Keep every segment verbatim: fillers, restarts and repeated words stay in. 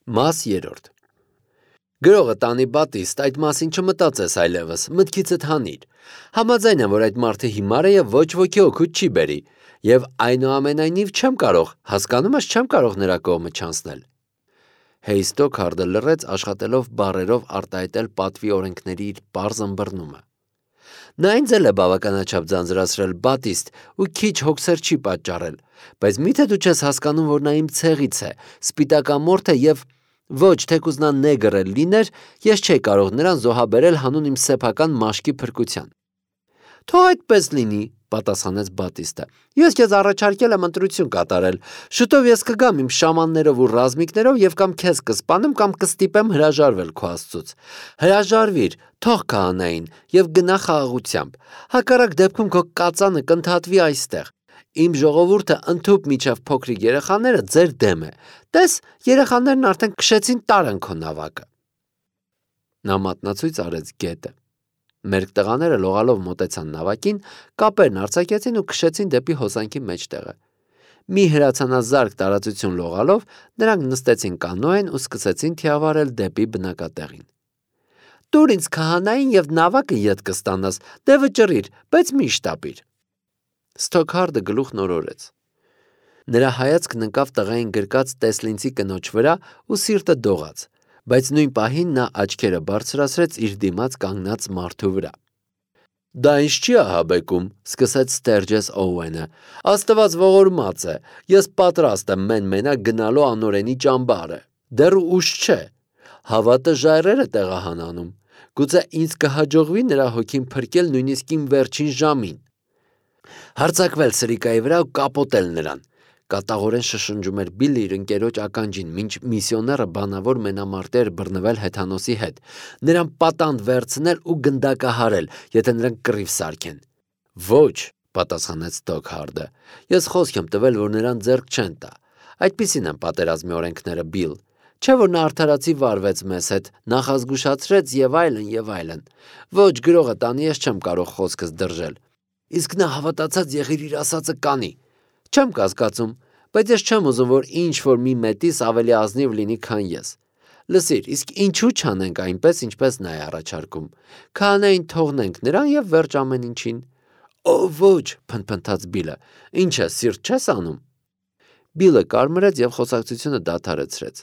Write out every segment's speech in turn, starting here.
Մաս երրորդ Գրողը տանի Բատիստ, այդ մասին չմտածես այլևս, մտքիցդ հանիր։ Համաձայն եմ, որ այդ մարդը հիմար է և ոչ ոքի օգուտ չի բերի, և այնուամենայնիվ չեմ կարող, հասկանում ես, չեմ կարող նրա կողմը չանցնել։ Հեյ Ստոքհարդը լռեց, աշխատելով բառերով արտահայտել պատվի օրենքների իր պարզ ըմբռնումը։ Նա ինձ էլ է բավականաչափ ձանձրացրել, Բատիստ, ու քիչ հոգսեր չի պատճառել, բայց միթե դու չես հասկանում, որ նա իմ ցեղից է, սպիտակամորթ է և ոչ, թեկուզ նա նեգր էլ լիներ, ես չէի կարող նրան զոհաբերել հանուն իմ սեփական մաշկի փրկության։ Թող այդպես լինի, պատասխանեց Բատիստը։ Ես քեզ առաջարկել եմ ընտրություն կատարել։ Շուտով ես կգամ իմ շամաններով ու ռազմիկներով և կամ քեզ կսպանեմ, կամ կստիպեմ հրաժարվել քո Աստծուց։ Հրաժարվիր, թող քահանային և գնա խաղաղությամբ։ Հակառակ դեպքում քո կածանը կընդհատվի այստեղ։ Իմ ժողովուրդը ընդհուպ մինչև փոքրիկ երեխաները ձեր դեմ է։ Տես, երեխաներն արդեն քշեցին տարան քո նավակը։ Նա մատնացույց արեց գետը։ Մերկ տղաները լողալով մոտեցան նավակին, կապերն արձակեցին ու քշեցին դեպի հոսանքի մեջտեղը։ Մի հրացանազարկ տարածություն լողալով, նրանք նստեցին կանոեն ու սկսեցին թիավարել դեպի բնակատեղին։ Տուր ինձ քահանային և նավակը ետ կստանաս, դե վճռիր, բայց մի շտապիր։ Ստոքհարդը գլուխն օրորեց։ Նրա հայացքն ընկավ տղային գրկած տեսլինցի կնոջ վրա ու սիրտը դողաց, բայց նույն պահին նա աչքերը բարձրացրեց իր դիմաց կանգնած մարդու վրա։ Դա ինձ չի ահաբեկում, սկսեց Ստերջես Օուենը։ Աստված ողորմած է, ես պատրաստ եմ մեն-մենակ գնալու անօրենի ճամբարը։ Դեռ ուշ չէ։ Հավատը ժայռեր է տեղահանանում։ Գուցե ինձ կհաջողվի նրա հոգին փրկել նույնիսկ իմ վերջին ժամին։ Հարձակվել սրիկայի վրա ու կապոտել նրան։ Կատաղորեն շշնջում էր Բիլլը իր ընկերոջ ականջին, մինչ միսիոները բանավոր մենամարտեր բռնվել հեթանոսի հետ, նրան պատանդ վերցնել ու գնդակահարել, եթե նրանք կռիվ սարքեն։ Ոչ, պատասխանեց Ստոքհարդը, ես խոսք եմ տվել, որ նրան ձեռք չեն տա։ Այդպիսին են պատերազմի օրենքները, Բիլ։ Չէ՞ որ նա արդարացի վարվեց մեզ հետ, նախազգուշացրեց եւ այլն եւ այլն։ Ոչ, գրողը տանի, ես չեմ կարող խոսքս դրժել։ Իսկ նա հավատացած եղիր իր ասածը կանի։ Չեմ կասկածում, բայց ես չեմ ուզում, որ ինչ-որ մի մետիս ավելի ազնիվ լինի, քան ես։ Լսիր, իսկ ինչու չանենք այնպես, ինչպես նա է առաջարկում։ Քահանային թողնենք նրան եւ վերջ ամեն ինչին։ Օ, ոչ, փնթփնթաց Բիլը։ Ինչ է, սիրտ չես անում։ Բիլը կարմրեց եւ խոսակցությունը դադարեցրեց։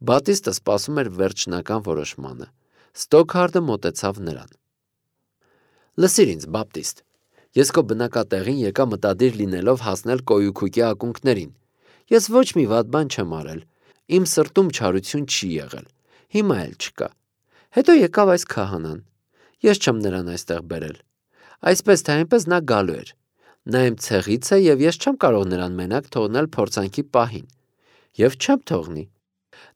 Բատիստը սպասում էր վերջնական որոշմանը։ Ստոքհարդը մոտեցավ նրան։ Լսիր ինձ, Բապտիստ։ Ես քո բնակատեղին եկա մտադիր լինելով հասնել կոյուքուկի ակունքներին։ Ես ոչ մի վատ բան չեմ արել։ Իմ սրտում չարություն չի եղել։ Հիմա էլ չկա։ Հետո եկավ այս քահանան։ Ես չեմ նրան այստեղ բերել։ Այսպես թե այնպես նա գալու էր։ Նա իմ ցեղից է եւ ես չեմ կարող նրան մենակ թողնել փորձանքի պահին։ Եվ չեմ թողնի։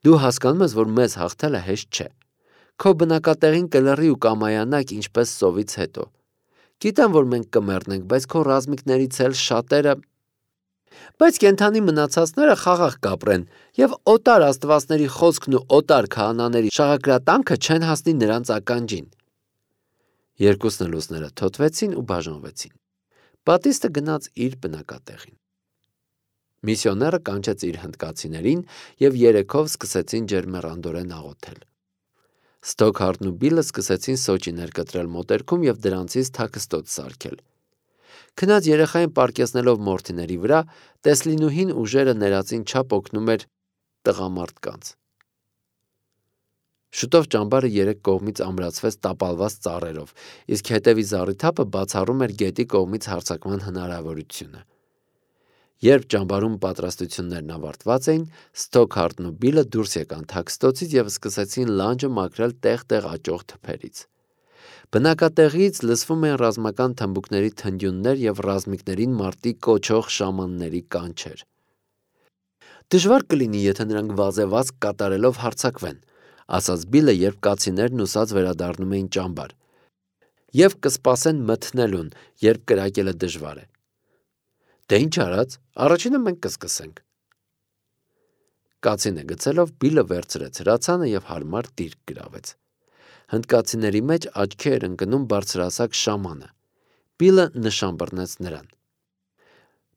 Դու հասկանում ես, որ մեզ հաղթելը հեշտ չէ։ Քո բնակատեղին կլռի ու կամայանաք ինչպես սովից հետո։ Գիտեմ, որ մենք կմեռնենք, բայց քո ռազմիկներից էլ շատերը Բայց կենթանի մնացածները խաղաղ կապրեն եւ օտար աստվածների խոսքն ու օտար քահանաների շաղակրատանքը չեն հասնի նրանց ականջին։ Երկուսն էլ ուսները թոթվեցին ու բաժանվեցին։ Բատիստը գնաց իր բնակատեղին։ Միսիոները կանչեց իր հնդկացիներին եւ երեքով սկսեցին ջերմեռանդորեն աղոթել։ Ստոքհարդն ու Բիլը սկսեցին սոճիներ կտրել մոտերքում եւ դրանցից թաքստոց սարքել։ Քնած երեխային պարկեսնելով մորթիների վրա, Տեսլինուհին ուժերը ներածին չափ օգնում էր տղամարդկանց։ Շուտով ճամբարը երեք կողմից ամրացվեց տապալված ծառերով, իսկ հետևի զառիթափը բացառում էր գետի կողմից հարձակման հնարավորությունը։ Երբ ճամբարում պատրաստություններն ավարտված էին, Ստոքհարդն ու Բիլը դուրս եկան թաքստոցից եւ սկսեցին լանջը մաքրել տեղ-տեղ աճող թփերից։ Բնակատեղից լսվում էին ռազմական թմբուկների թնդյուններ եւ ռազմիկներին մարտի կոչող շամանների կանչեր։ Դժվար կլինի, եթե նրանք վազեվազք կատարելով հարձակվեն, ասաց Բիլը, երբ կացիներն ուսած վերադառնում էին ճամբար։ Եվ կսպասեն մթնելուն, երբ կրակելը դժվար է։ Դե ինչ արած, առաջինը մենք կսկսենք։ Կացինը գցելով Բիլը վերցրեց հրացանը եւ հարմար դիրք գրավեց։ Հնդկացիների մեջ աչքի էր ընկնում բարձրահասակ շամանը։ Բիլը նշան բռնեց նրան։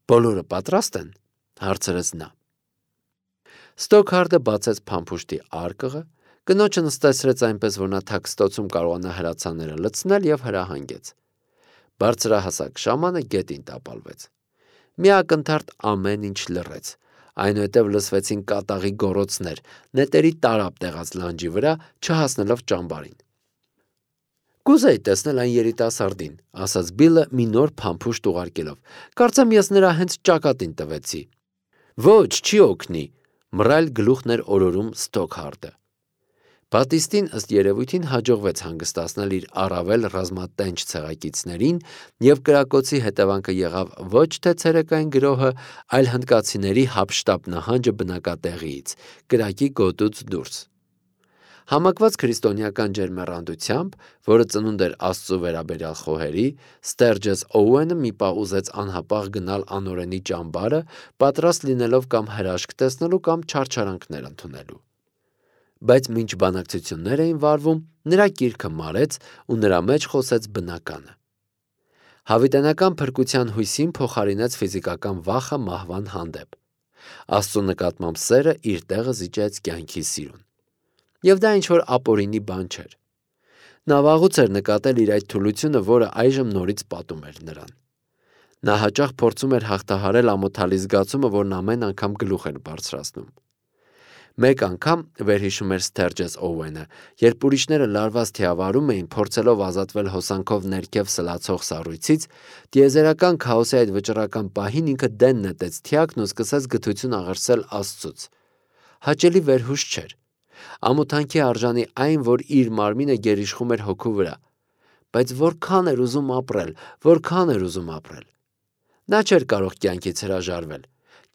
Բոլորը պատրաստ են, հարցրեց նա։ Ստոքհարդը բացեց փամփուշտի արկղը, կնոջը նստեցրեց այնպես, որ նա թաքստոցում կարողանա հրացանները լցնել և հրահանգեց։ Բարձրահասակ շամանը գետին տապալվեց։ Մի ակնթարթ ամեն ինչ լռեց, այնուհետև լսվեցին կատաղի գոռոցներ, նետերի տարափ տեղած լանջի վրա, չհասնելով ճամբարին։ Կուզեի տեսնել այն երիտասարդին, ասաց Բիլլը մի նոր փամփուշտ ուղարկելով, կարծեմ ես նրա հենց ճակատին տվեցի։ Ոչ, չի օգնի, մռայլ գլուխն էր օրորում Ստոքհարդը։ Բատիստին ըստ երևույթին հաջողվեց հանգստացնել իր առավել ռազմատենչ ցեղակիցներին, և կրակոցի հետևանքը եղավ ոչ թե ցերեկային գրոհը, այլ հնդկացիների հափշտապ նահանջը բնակատեղիից, կրակի գոտուց դուրս։ Համակված քրիստոնեական ջերմեռանդությամբ, որը ծնունդ էր Աստծու վերաբերյալ խոհերի, Ստերջես Օուենը մի պահ ուզեց անհապաղ գնալ անօրենի ճամբարը, պատրաստ լինելով կամ հրաշք տեսնելու, կամ չարչարանքներ ընդունելու։ Բայց մինչ բանակցություններ էին վարվում, նրա կիրքը մարեց ու նրա մեջ խոսեց բնականը։ Հավիտենական փրկության հույսին փոխարինեց ֆիզիկական վախը մահվան հանդեպ։ Աստծու նկատմամբ սերը իր տեղը զիջեց կյանքի սիրուն։ Եվ դա ինչ-որ ապօրինի բան չէր։ Նա վաղուց էր նկատել իր այդ թուլությունը, որը այժմ նորից պատում էր նրան։ Նա հաճախ փորձում էր հաղթահարել ամոթալի զգացումը, որն ամեն անգամ գլուխ էր բարձրացնում։ Մեկ անգամ, վերհիշում էր Ստերջես Օուենը, երբ ուրիշները լարված թիավարում էին, փորձելով ազատվել հոսանքով ներքև սլացող սառույցից, տիեզերական քաոսի այդ վճռական պահին ինքը դեն նետեց թիակն ու սկսեց գթություն աղերսել Աստծուց։ Հաճելի վերհուշ չէր։ Ամոթանքի արժանի այն, որ իր մարմինը գերիշխում էր հոգու վրա, բայց որքան էր ուզում ապրել, որքան էր ուզում ապրել։ Նա չէր կարող կյանքից հրաժարվել։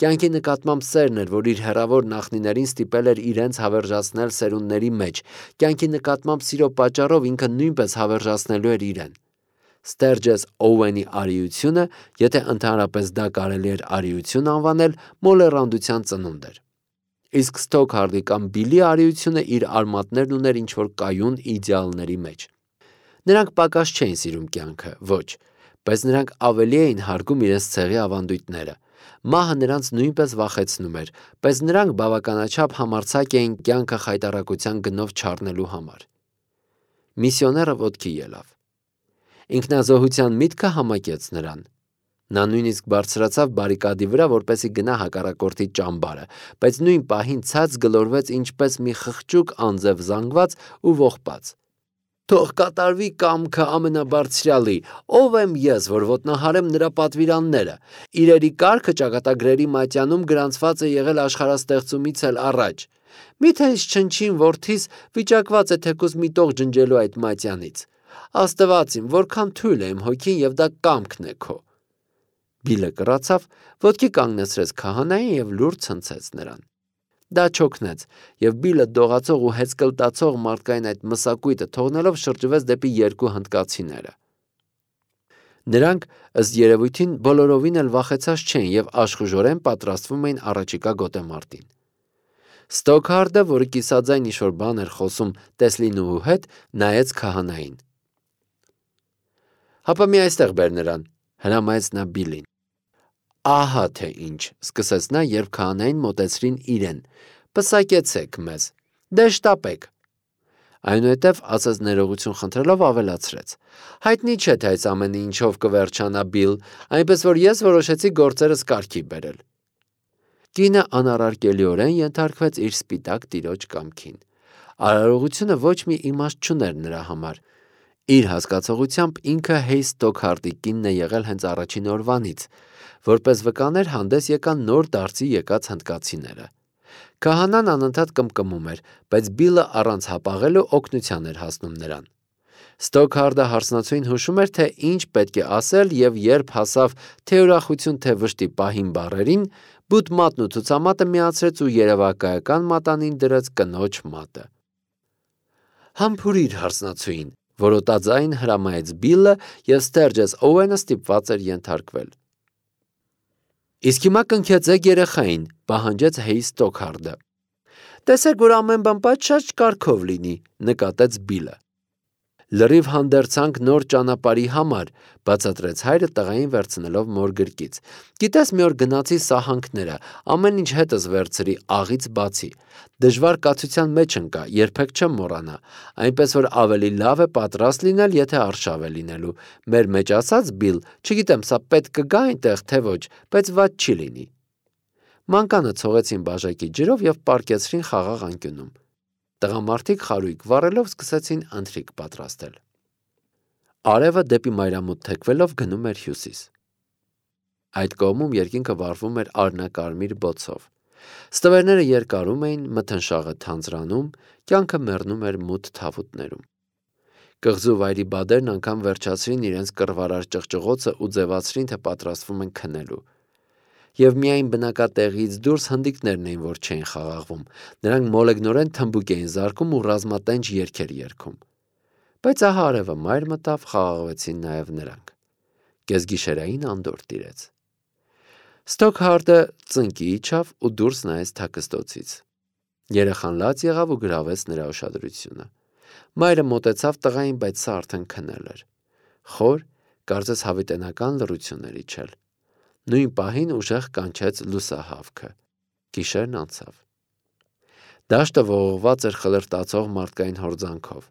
Կյանքի նկատմամբ սերն էր, որ իր հեռավոր նախնիներին ստիպել էր իրենց հավերժացնել սերունդների մեջ, կյանքի նկատմամբ սիրո պատճառով ինքը նույնպես հավերժացնելու էր իրեն։ Ստերջես Օուենի արիությունը, եթե ընդհանրապես դա կարելի էր արիություն անվանել, մոլեռանդության ծնունդ էր։ Իսկ Ստոքհարդի կամ Բիլի արիությունը իր արմատներն ուներ ինչ-որ կայուն իդեալների մեջ։ Նրանք պակաս չէին սիրում կյանքը, ոչ, բայց նրանք ավելի էին հարգում իրենց ցեղի ավանդույթները։ Մահը նրանց նույնպես վախեցնում էր, բայց նրանք բավականաչափ համարձակ էին կյանքը խայտառակության գնով չառնելու համար։ Միսիոները ոտքի ելավ։ Ինքնազոհության միտքը համակեց նրան։ Նա նույնիսկ բարձրացավ բարիկադի վրա, որպեսզի գնա հակառակորդի ճամբարը, բայց նույն պահին ցած գլորվեց ինչպես մի խղճուկ անձև զանգված ու ողբաց։ Թող կատարվի կամքը ամենաբարձրյալի, ով եմ ես, որ ոտնահարեմ նրա պատվիրանները։ Իրերի կարգը ճակատագրերի մատյանում գրանցված է եղել աշխարհաստեղծումից էլ առաջ։ Միթե ինձ չնչին որդիս վիճակված է թեկուզ մի տող ջնջելու այդ մատյանից։ Աստված իմ, որքան թույլ է իմ հոգին, եւ դա կամքն է քո։ Բիլը կռացավ, ոտքի կանգնեցրեց քահանային և լուր ցնցեց նրան։ Դա չօգնեց, և Բիլը դողացող ու հեծկլտացող մարդկային այդ մսակույտը թողնելով շրջվեց դեպի երկու հնդկացիները։ Նրանք, ըստ երևույթին, բոլորովին էլ վախեցած չէին և աշխուժորեն պատրաստվում էին առաջիկա գոտեմարտին։ Ստոքհարդը, որը կիսաձայն ինչ-որ բան էր խոսում Տեսլինուհու հետ, նայեց քահանային։ Հապա մի այստեղ բեր նրան, հրամայեց նա Բիլին։ Ահա թե ինչ, սկսեց նա, երբ քահանային մոտեցրին իրեն, պսակեցեք մեզ, դե շտապեք։ Այնուհետև, ասաց ներողություն խնդրելով, ավելացրեց. հայտնի չէ, թե այս ամենը ինչով կվերջանա, Բիլ, այնպես որ ես որոշեցի գործերս կարգի բերել։ Կինը անառարկելիորեն ենթարկվեց իր սպիտակ տիրոջ կամքին։ Արարողությունը ոչ մի իմաստ չուներ նրա համար։ Իր հասկացողությամբ ինքը Հեյ Ստոքհարդի կինն է եղել հենց առաջին օրվանից։ Որպես վկաներ հանդես եկան նոր դարձի եկած հնդկացիները։ Քահանան անընդհատ կմկմում էր, բայց Բիլը առանց հապաղելու օգնության էր հասնում նրան։ Ստոքհարդը հարսնացուին հուշում էր, թե ինչ պետք է ասել, և երբ հասավ թե ուրախություն, թե վշտի պահին բառերին, բութ մատն ու ցուցամատը միացրեց ու երևակայական մատանին դրեց կնոջ մատը։ Համբուրիր հարսնացուին, որոտաձայն հրամայեց Բիլը, և Ստերջես Օուենը ստիպված էր ենթարկվել։ Իսկ հիմա կնքեցեք երեխային, պահանջեց Հեյ Լրիվ հանդերձանք նոր ճանապարհի համար, բացատրեց հայրը տղային վերցնելով մոր գրկից։ Գիտես, մի օր գնացի սահանքները, ամեն ինչ հետս վերցրի աղից բացի։ Դժվար կացության մեջ ընկա, երբեք չեմ մոռանա, այնպես որ ավելի լավ է պատրաստ լինել, եթե արշավ է լինելու։ Մեր մեջ ասած Բիլ, չգիտեմ, սա պետք կգա այնտեղ, թե ոչ, բայց ված չի լինի։ Մանկանը ցողեցին բաժակի ջրով եւ պառկեցրին խաղաղ անկյունում։ Տղամարդիկ խարույկ վառելով սկսեցին ընթրիք պատրաստել։ Արևը դեպի մայրամուտ թեքվելով գնում էր հյուսիս։ Այդ կողմում երկինքը վառվում էր արնակարմիր բոցով։ Ստվերները երկարում էին, մթնշաղը թանձրանում, կյանքը մեռնում էր մութ թավուտներում։ Կղզու վայրի բադերն անգամ վերջացրին իրենց կռվարար ճղճղոցը ու ձևացրին, թե պատրաստվում են քնելու։ Եվ միայն բնակատեղիից դուրս հնդիկներն էին, որ չէին խաղաղվում, նրանք մոլեգնորեն թմբուկ էին զարկում ու ռազմատենչ երգեր երգում։ Բայց ահա արևը մայր մտավ, խաղաղվեցին նաև նրանք։ Կեսգիշերային անդորր տիրեց։ Ստոքհարդը ծնկի իջավ ու դուրս նայեց թաքստոցից։ Երեխան լաց եղավ ու գրավեց նրա ուշադրությունը։ Մայրը մոտեցավ տղային, բայց սա արդեն քնել էր։ Խոր, կարծես հավիտենական լռություն էր իջել։ Նույն պահին ուժեղ կանչեց լուսահավքը։ Գիշերն անցավ։ Դաշտը ողողված էր խլրտացող մարդկային հորձանքով։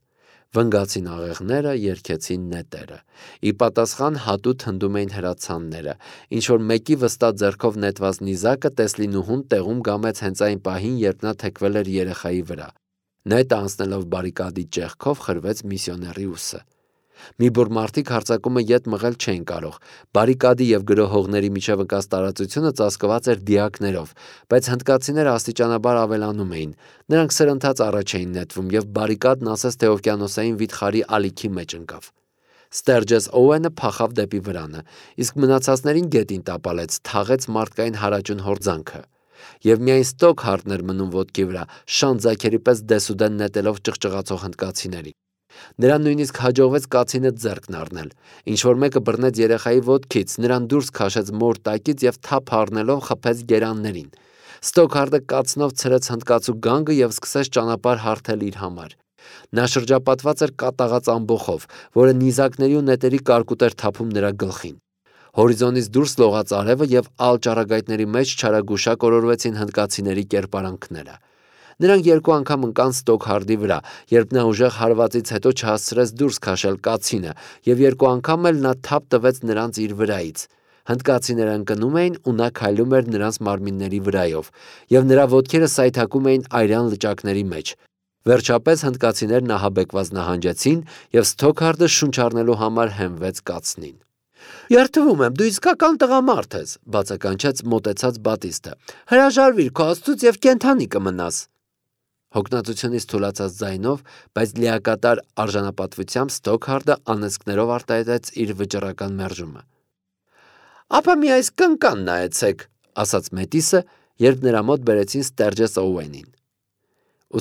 Վնգացին աղեղները, երգեցին նետերը։ Ի պատասխան հատուտ հնդում էին հրացանները, ինչ որ մեկի վստահ ձեռքով նետված նիզակը Տեսլինուհուն տեղում գամեց հենց այն պահին, երբ նա թեքվել էր երեխայի վրա։ Նետը անցնելով բարիկադի ճեղքով խրվեց միսիոների ուսը։ Մի բուռ մարդիկ հարձակումը ետ մղել չէին կարող։ Բարիկադի եւ գրոհողների միջև ընկած տարածությունը ծածկված էր դիակներով, բայց հնդկացիները աստիճանաբար ավելանում էին։ Նրանք սրընթաց առաջ էին նետվում եւ բարիկադն ասես թե օվկիանոսային վիթխարի ալիքի մեջ ընկավ։ Ստերջես Օուենը փախավ դեպի վրանը, իսկ մնացածներին գետին տապալեց, թաղեց մարդկային հարաճուն հորձանքը։ Եվ միայն Ստոքհարդն էր մնում ոտքի վրա, շանձակերի պես դեսուդեն նետելով ճղճղացող հնդկացիներին։ Նրան նույնիսկ հաջողվեց կացինը ձեռքն առնել։ Ինչ-որ մեկը բռնեց երեխայի ոտքից, նրան դուրս քաշեց մոր տակից եւ թափ առնելով խփեց գերաններին։ Ստոքհարդը կացնով ցրեց հնդկացու գանգը եւ սկսեց ճանապարհ հարթել իր համար։ Նա շրջապատված էր կատաղած ամբոխով, որը նիզակների ու նետերի կարկուտ էր թափում նրա գլխին։ Հորիզոնից դուրս լողաց արևը եւ ալ ճառագայթների մեջ չարագուշակ օրորվեցին հնդկացիների կերպարանքները։ Նրանք երկու անգամ ընկան Ստոքհարդի վրա, երբ նա ուժեղ հարվածից հետո չհասցրեց դուրս քաշել կացինը, եւ երկու անգամ էլ նա թափ տվեց նրանց իր վրայից։ Հնդկացիները ընկնում էին ու նա քայլում էր նրանց մարմինների վրայով, եւ նրա ոտքերը սայթաքում էին այրան լճակների մեջ։ Վերջապես հնդկացիներն ահաբեկված նահանջեցին եւ Ստոքհարդը շունչ առնելու համար հենվեց կացնին։ Երդվում եմ, դու իսկական տղամարդ ես, բացականչեց մոտեցած Բատիստը։ Հրաժարվիր քո աստծուց եւ կենթանի կմնաս։ Հոգնածությունից թուլացած ձայնով, բայց լիակատար արժանապատվությամբ Ստոքհարդը անեծքներով արտահայտեց իր վճռական մերժումը։ Ապա մի այս կնկան նայեցեք, ասաց Մետիսը, երբ նրա մոտ բերեցին Ստերջես Օուենին։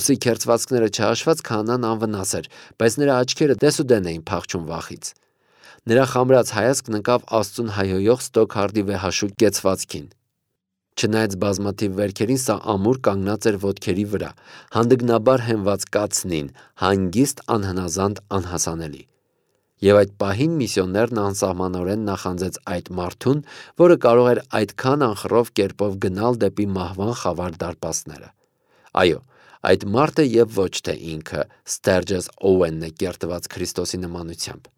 Ուսի քերծվածքները չհաշված քահանան անվնաս էր, բայց նրա աչքերը դեսուդեն էին փախչում վախից։ Նրա խամրած հայացքն ընկավ աստծուն հայհոյող Ստոքհարդի վեհաշուկ կեցվածքին։ Չնայած բազմաթիվ վերքերին, սա ամուր կանգնած էր ոտքերի վրա, հանդգնաբար հենված կացնին, հանգիստ, անհնազանդ, անհասանելի։ Եվ այդ պահին միսիոներն անսահմանորեն նախանձեց այդ մարդուն, որը կարող էր այդքան անխռով կերպով գնալ դեպի մահվան խավար դարպասները։ Այո, այդ մարդը եւ ոչ թե ինքը Ստերջես Օուենն է կերտված Քրիստոսի նմանությամբ։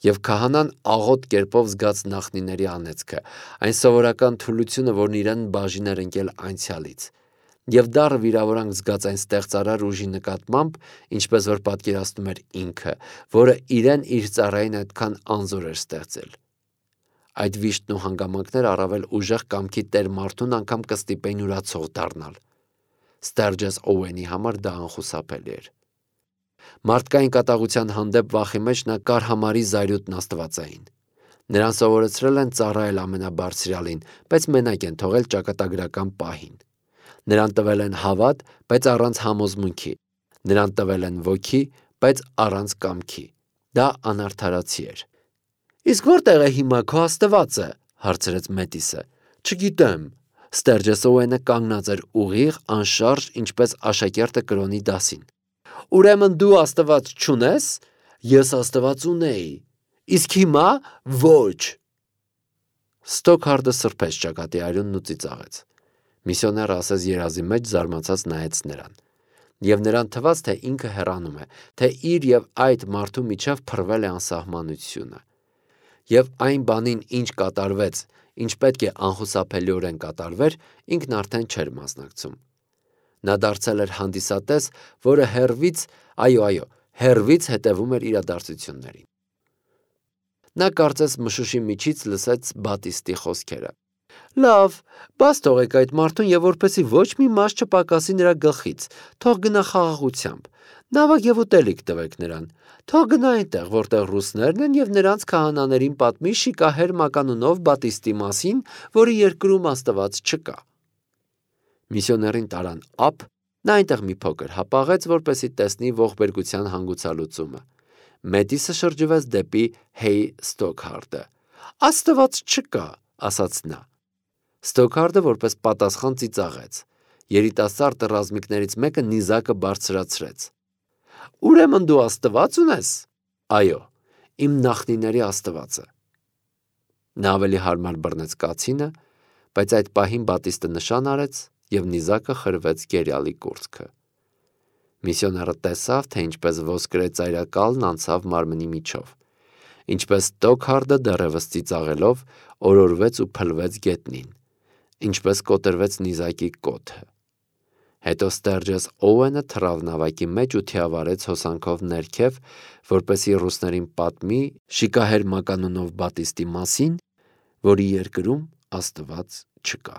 Եվ քահանան աղոտ կերպով զգաց նախնիների անեծքը, այն սովորական թուլությունը, որն իրեն բաժին էր ընկել անցյալից, եւ դառը վիրավորանք զգաց այն ստեղծարար ուժի նկատմամբ, ինչպես որ պատկերացնում էր ինքը, որը իրեն իր ծառային այդքան անզոր էր ստեղծել։ Այդ վիշտն ու հանգամանքները առավել ուժեղ կամքի տեր մարդուն անգամ կստիպեին ուրացող դառնալ։ Ստերջես Օուենի համար դա անխուսափելի էր։ Մարդկային կատաղության հանդեպ վախի մեջ նա կար համարի զայրույթն աստվածային։ Նրան սովորեցրել են ծառայել ամենաբարձրյալին, բայց մենակ են թողել ճակատագրական պահին։ Նրան տվել են հավատ, բայց առանց համոզմունքի։ Նրան տվել են ոգի, բայց առանց կամքի։ Դա անարդարացի էր։ Իսկ որտեղ է հիմա քո Աստվածը, հարցրեց Մետիսը։ Չգիտեմ։ Ստերջես Օուենը կանգնած էր ուղիղ, անշարժ, ինչպես աշակերտը կրոնի դասին։ Ուրեմն դու Աստված չունես։ Ես Աստված ունեի, իսկ հիմա ոչ։ Ստոքհարդը սրբեց ճակատի արյունն ու ծիծաղեց։ Միսիոները ասես երազի մեջ զարմացած նայեց նրան, և նրան թվաց, թե ինքը հեռանում է, թե իր և այդ մարդու միջև փռվել է անսահմանությունը։ Եվ այն բանին, ինչ կատարվեց, ինչ պետք է անխուսափելիորեն կատարվեր, ինքն արդեն չէր մասնակցում։ Նա դարձել էր հանդիսատես, որը հեռվից, այո, այո, հեռվից հետևում էր իրադարձություններին։ Նա կարծես մշուշի միջից լսեց Բատիստի խոսքերը. «Լավ, բաց թողեք այդ մարդուն և որպեսզի ոչ մի մաս չպակասի նրա գլխից, թող գնա խաղաղությամբ, նավակ և ուտելիք տվեք նրան, թող գնա այնտեղ, որտեղ ռուսներն են և նրանց քահանաներին պատմի շիկահեր մականունով Բատիստի մասին, որի երկրում Աստված չկա»։ Միսիոներին տարան ափ, նա այնտեղ մի փոքր հապաղեց, որպեսզի տեսնի ողբերգության հանգուցալուծումը։ Մեդիսը շրջվեց դեպի Հեյ Ստոքհարդը։ «Աստված չկա», ասաց նա։ Ստոքհարդը որպես պատասխան ծիծաղեց։ Երիտասարդ ռազմիկներից մեկը նիզակը բարձրացրեց։ «Ուրեմն դու Աստված ունես»։ «Այո, իմ նախնիների Աստվածը»։ Նա ավելի հարմար բռնեց կացինը, բայց այդ պահին Բատիստը նշան արեց և նիզակը խրվեց գերիալի կուրծքը։ Միսիոները տեսավ, թե ինչպես ոսկրե ծայրակալն անցավ մարմնի միջով, ինչպես Ստոքհարդը դեռևս ծիծաղելով օրորվեց ու փլվեց գետնին, ինչպես կոտրվեց նիզակի կոթը։ Հետո Ստերջես Օուենը թռավ նավակի մեջ ու թիավարեց հոսանքով ներքև, որպեսզի ռուսներին պատմի շիկահեր մականունով Բատիստի մասին, որի երկրում Աստված չկա։